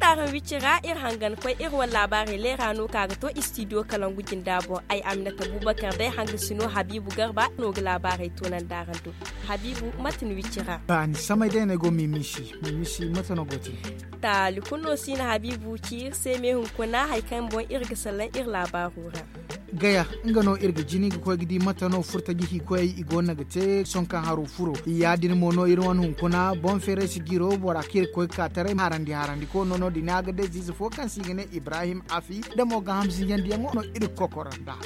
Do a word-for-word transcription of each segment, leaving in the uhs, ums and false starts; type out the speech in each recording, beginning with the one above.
Taaraŋ wicci ra iri hangan koy iri wane laabaarey leera no ka ga to istidiyo kalangu jinda boŋ. Ay aminata bubakar day hangasi no habiibu garba no ga laabaarey toonandi araŋ do. Habiibu, mate ni wicci ra? Ba ni samay day no ay go mimisi. Mimisi, mate no go te? Taali kulu no si na habiibu ci iri se me hunkuna hari kaŋ boŋ iri ga salaŋ iri laabaaro ra. Gaya, nga no iri ga jini ga koy ga di mate no furtaji hiikoyey i go no ga te sohõ kaŋ haro furo. Ya- din mo no iri wane hunkuna boŋ feeray si jiro bora kaŋ iri ga koy ga ka taray harandi harandi ko no no- din a ga day ziize fo kaŋ se i ga ne ibrahim afi da mo ga hamsinyandiyaŋo no iri ga kokoro nd'a.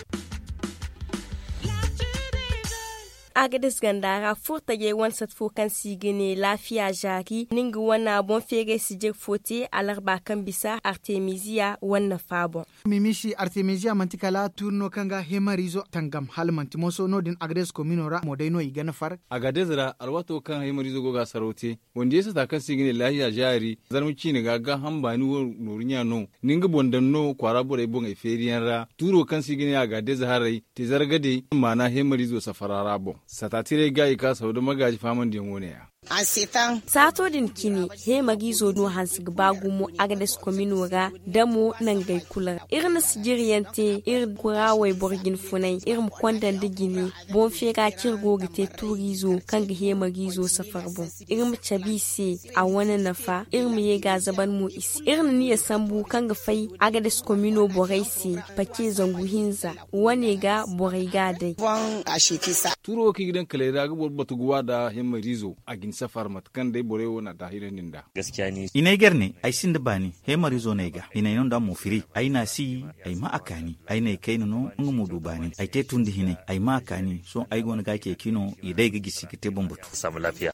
Agades ganda ra furtajey wane sat fo kaŋ se i ga ne laafiya zaari ni nga wane boŋ feeray sijir fo te alarba kaŋ bisa artemisiya wane nafa boŋ. Mimisi artemisiya manti kala tuuri no kaŋ ga hemarizo tangam hala manti moso no- din agades komino ra mo day no i ga nafar. Agades ra alwaato kaŋ hemarizo go ga saraw te wandiyey sata kaŋ se i ga ne laahiya zaari zarma ciine ga gaaham baani wo nooru ɲa no. Ni nga boŋ daŋ no kwaara borey boŋey feeriyaŋ ra tuuro kaŋ se i ga ne agades haray te zargadey maana hemarizo safara ra boŋ. Sata tiray ga i ka saw da magaaji faamandiyaŋ wo ne ya. Saato din cine heemariizo no hanse ga ba gumo agades komino ra da mo nangey kulu ra iri na sijiriyaŋ te iri kura wayboro jine funay iri ma konda nda jine. Boŋ feera kaŋ iri go ga te tuuriizo kaŋ ga heemariizo safar boŋ iri ma cabe i se a wane nafa iri ma ye ga a zaban mo i se iri na niya sambu kaŋ ga fay agades komino borey se pace zangu hinza wane ga borey ga a day. Tuuro wo kaŋ i ga daŋ kaley ra ga boro batu ga wa nda hemariizo a ga ni safar mate kaŋ day borey wo na a daahirandi nd'a. I n'ay gar ne ay sinda baani hemariizo no ay ga hinay no nd'a mo firi ay na a si ay ma a kaani ay n'ay kayna no nga mo du baani ay te tundi hinay ay ma a kaani sohõ ay go no ga a ceeci no i day ga gisi ga te boŋ batu.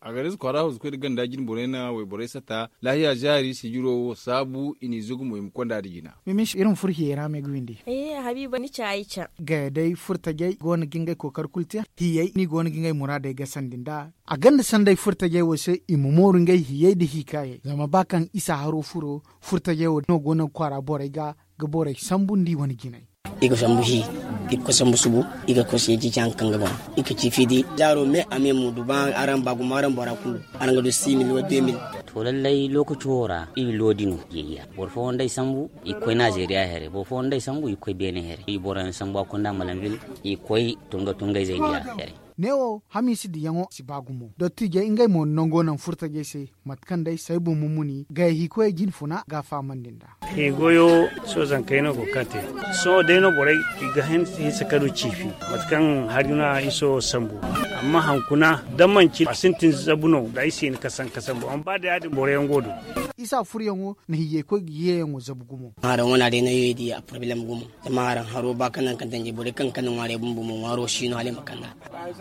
Agades kwaara hawzu koy nda ganda jine borey na wayborey sata laahiya zaari sijiro wo saabu i n'i zugu mo i ma konda nda jina. Mimish iri ma furo hiyey ra me ga windi. Habiiba ni ca ay ca. Gaya day furtajey go no ga ngey kookari kulu te hiyey no i go no ga ngey muraadey gasandi nd'a. A gonda sanday furtajey wo se i ma mooru ngey hiyey nda hiikaayey zama ba kaŋ isa haro furo furtajey wo no go no ga kwaara borey ga ga borey sambu nda i wane jinay. I ga sambu hi i ga koy sambu subu i ga koy seeci ci haŋ kaŋ ga boŋ. I ga ci fiidi zaaro me a me mo du ba araŋ ba gumo araŋ bora kulu araŋ ga du simil wa demil. To lallay lookaci wo ra i loodi no jeeya boro fooyaŋ day sambu i ga koy nazeeriya here boro fooyaŋ day sambu i ga koy beene here i boroyaŋ sambu a kunda malambil i ga koy tunga tunga izey diya here. Neewo hamiisi diyaŋo si ba gumo dottijey ngey mo nango naŋ furtajey se mate kaŋ day saybu mumuni gaya hiikoyey jine funa ga a fahamandi nd'a. Hiigoyo sohõ zankey no go ga ka te. Sohõ day no borey i ga hin hinsa ka du ciifi mate kaŋ hari no a iso sambu. Amma hankuna da manci a sintin zabu no da ay si hin ka sanka sambu amma ba da ya- din boroyaŋ go du. Isa furuyaŋo na hiyey koy ga yeeyaŋo zabu gumo. Haraŋ wana day no yo i di a porobilem gumo. Zama haraŋ haro ba kaŋ naŋ kaŋ danji borey kaŋ kaŋ na ŋwaarey bumbo mo ŋwaaro si no hala i ma kanda.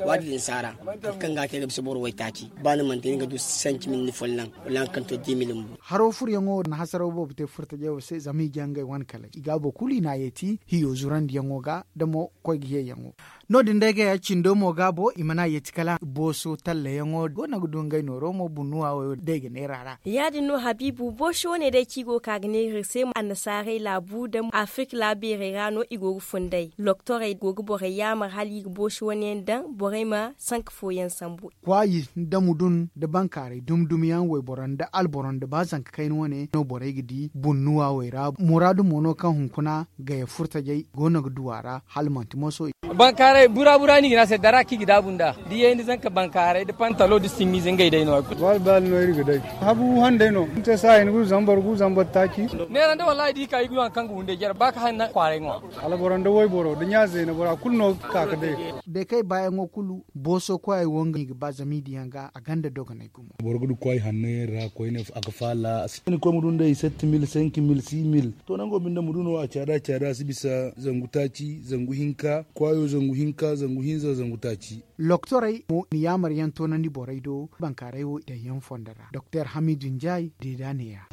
Waati din saara mate kaŋ ga a te ga bisa boro waytaaci ba ni mana te ni ga du sanci mil ni folloŋ wala haŋ kaŋ to di mil bumbo. Haro furuyaŋo na hasaraw boobo te furtajey wo se zama i jaŋ ngey wane kaley i ga a boro kulu i n'a yeeti hiyo zurandiyaŋo ga da mo koy ga yeeyaŋo. No- din day gaya cindo mo gaabo i mana yeeti kala booso tallayaŋo go no ga du ngey nooro mo bunnuwa wo day ga neera ra. Ya- din no habiibu booso wane day kaŋ i go ga ka ga neera iri se annasaarey laabu nda afirka laabeerey ra no i go ga funday loktorey go ga borey yaamar hala i ga booso wane yaŋ daŋ borey ma sanka fooyaŋ sambu. Kwaayi nda mudun nda bankaaray dumi dumi yaŋ wayboro nda alboro nda ba zanka kayna wane no borey ga di bunnuwa wey ra muraadu mo no kaŋ hunkuna gaya furtajey go no ga du a ra hala manti moso. Bankaaray bura bura no i ga ne a se dara kaŋ i ga daabu nd'a da i ye ni zanka bankaaray da pantalo da simmiize ngey day no. Baali baali no iri ga day habu handay no ni te saayi ni ga du zambar gu zambar taaci. Neera nda wallaahi da i ka i ga du haŋ kaŋ ga hunday jare ba ka hanna kwaaray ŋwa. Alboro nda wayboro da ɲa zeena bora kulu no ga ka ga day. Day kaŋ ay baayaŋo kulu booso koyey wo nga no i ga ba zama i diyaŋ ga a gonda dogonay gumo. Boro ga du kwaay hanno yaŋ ra koyne a ga faala a si ni koy ma du nd'ey sept mille cinq mille six mille. To nango binde ma du no a caada caada a si bisa zangu taaci zangu hinka kwaayo zangu hinka zangu hinza zangu taaci. Loktorey mo na yaamar yaŋ toonandi borey do bankaaray wo daŋ yaŋ fondo ra doktor hamidu njaay deeda neeya.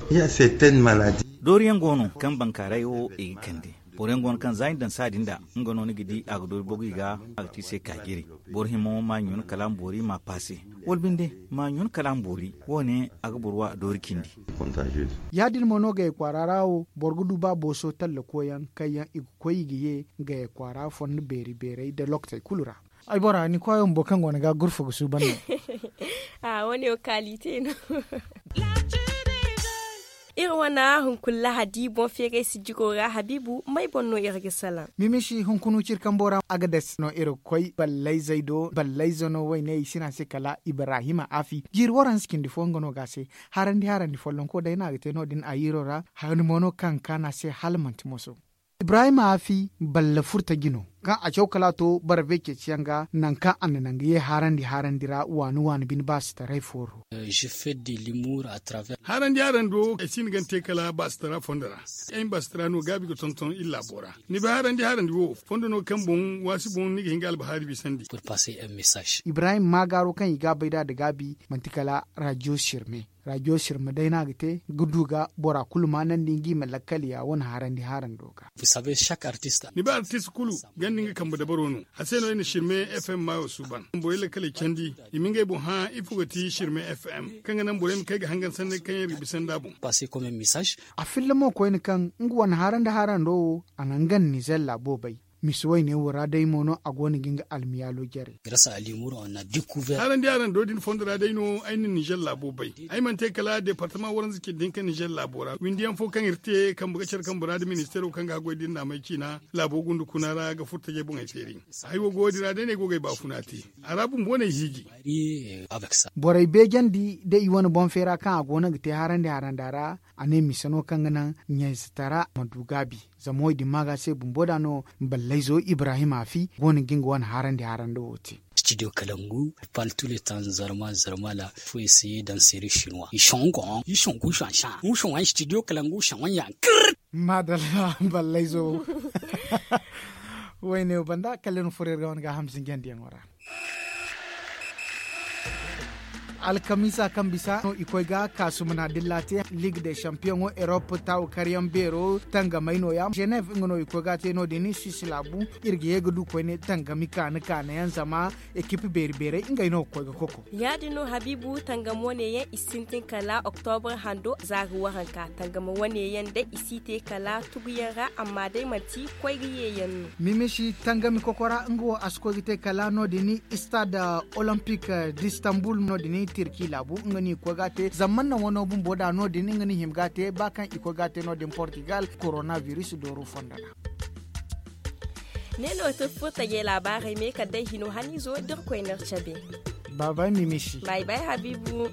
Dooriyaŋ go no kaŋ bankaaray wo i ga kande. Boro yaŋ go no kaŋ za i na daŋ saadi nda nga no ni ga di a ga doori bogu i ga a ga te i se kaajiri. Boro hima ma ɲun kala a ma boori ma a paase. Wala binde ma ɲun kala a ma boori wo- ne a ga boro wa doori cindi. Ya- din mo no gaya kwaara ra wo boro ga du ba booso talla koyaŋ kaŋ yaŋ i ga koy i ga ye gaya kwaara fondo beeri beerey nda lokotey kulu ra. Ay bora ni koyo bumbo kaŋ go ni ga gurfa ga suuban no. A wo- ne wo kaalite no. Iri wana hunkuna lahadi boŋ feeray sijiro ra habiibu may boŋ no iri ga salaŋ? Mimisi hunkuna ciri kambo ra a ga dasi no iri ga koy ballayzey do ballayze no wayne i si no a se kala ibrahima afi jiiri waranza cindi fo nga no ga a se. Harandi harandi follonko day no a ga te no- din a yiiro ra. Harandi mo no kaŋ ga kaanu a se hala manti moso. Ibrahima afi balla furtaji no kaŋ a caw kala a to barbe ceeciyaŋ ga nangu kaŋ a na naŋ ga ye harandi harandi ra waani waani bine baasitaray fooro. Harandi harando ay si ni gante kala baasitara fondo ra. Ay ma baasitara no gaabi ga tonton iri laabo ra. Ni bay harandi harandi wo fondo no kaŋ boŋ waasi boŋ ni ga hin ga albahaari bisandi. Ibrahim maagaaro kaŋ i ga a bay nd'a nda gaabi manti kala rajiyo sirme. Rajiyo sirme day no a ga te ga du ga bora kulu maanandi nga i ma lakkal ya wane harandi harando ga. Ni bay artist kulu ganda nga kambe dabaro no. A se no ay na sirme fm maayo suuban borey lakkaley candi. I ma ngey boŋ hã ifo ga ti sirme fm kaŋ ga naŋ borey ma kay ga hangan sanney kaŋ yaŋ iri ga bisa nd'a boŋ. A filla mo koyne kaŋ nga wane harandi harando wo a na nga nizer laabo bay. Misi wayne wo ra day mo no a go no ga nga almiyaalo jare. Harandi harando din fondo ra day no ay na nizer laabo bay. Ay mana te kala departama waranza cindi hinka nizer laabo ra windi yaŋ fo kaŋ iri te kambe ga care kambe ra nda ministeero kaŋ ga haggoy din naamay ciina laabo gundu kuna ra ga furtajey boŋey feeri. Haya wo go din ra day no ay go ga ay baafuna te. A ra bumbo no ay hiiji. Borey beejandi da i wane boŋ feera kaŋ a go no ga te harandi haranda ra. A ne mise no kaŋ ga naŋ ɲayze tara ma du gaabi. Zama wo- din maaga se bumbo da no ballayzo ibrahim afi go no ga nga wane harandi haranda wo te. Studio kalangu partout le tan zarma zarma la fo essayer danser chinois i shongon i shongon shansan i shongon studio kalangu shongon ya. Madalla ballayzo. Wayne banda kallin furer ga wane ga hamsin jandiyaŋo ra. Alkamisa kaŋ bisa no i koy ga kaasumuna dilla te ligue de champion europe taawu karyaŋ beero tangamay no- ya geneve nga no i koy ga te no- din swiss laabu. Iri ga ye ga du koyne tangami kaani kaani yaŋ zama ekipi beeri beerey ngey no ga koy ga koko. Ya- din no habiibu tangam wane yaŋ i sintin kala octobre hando za ga waranka tangam wane yaŋ day i si te kala tuguyaŋ ra amma day manti koy ga ye yaŋ no. Mimisi tangami kokora nga wo a si koy ga te kala no- din stade olympique d'istanbul no- din tirki laabu nga no i koy ga a te zama manna wano bumbo da no- din nga no i hima ga a te ba kaŋ i koy ga a te no- din portugal coronavirus dooru fondo ra. Ne no ti furtajey laabaarey me kala day hino haniizo da iri koy no iri cabe. Baabay mimisi. Baabay habiibu.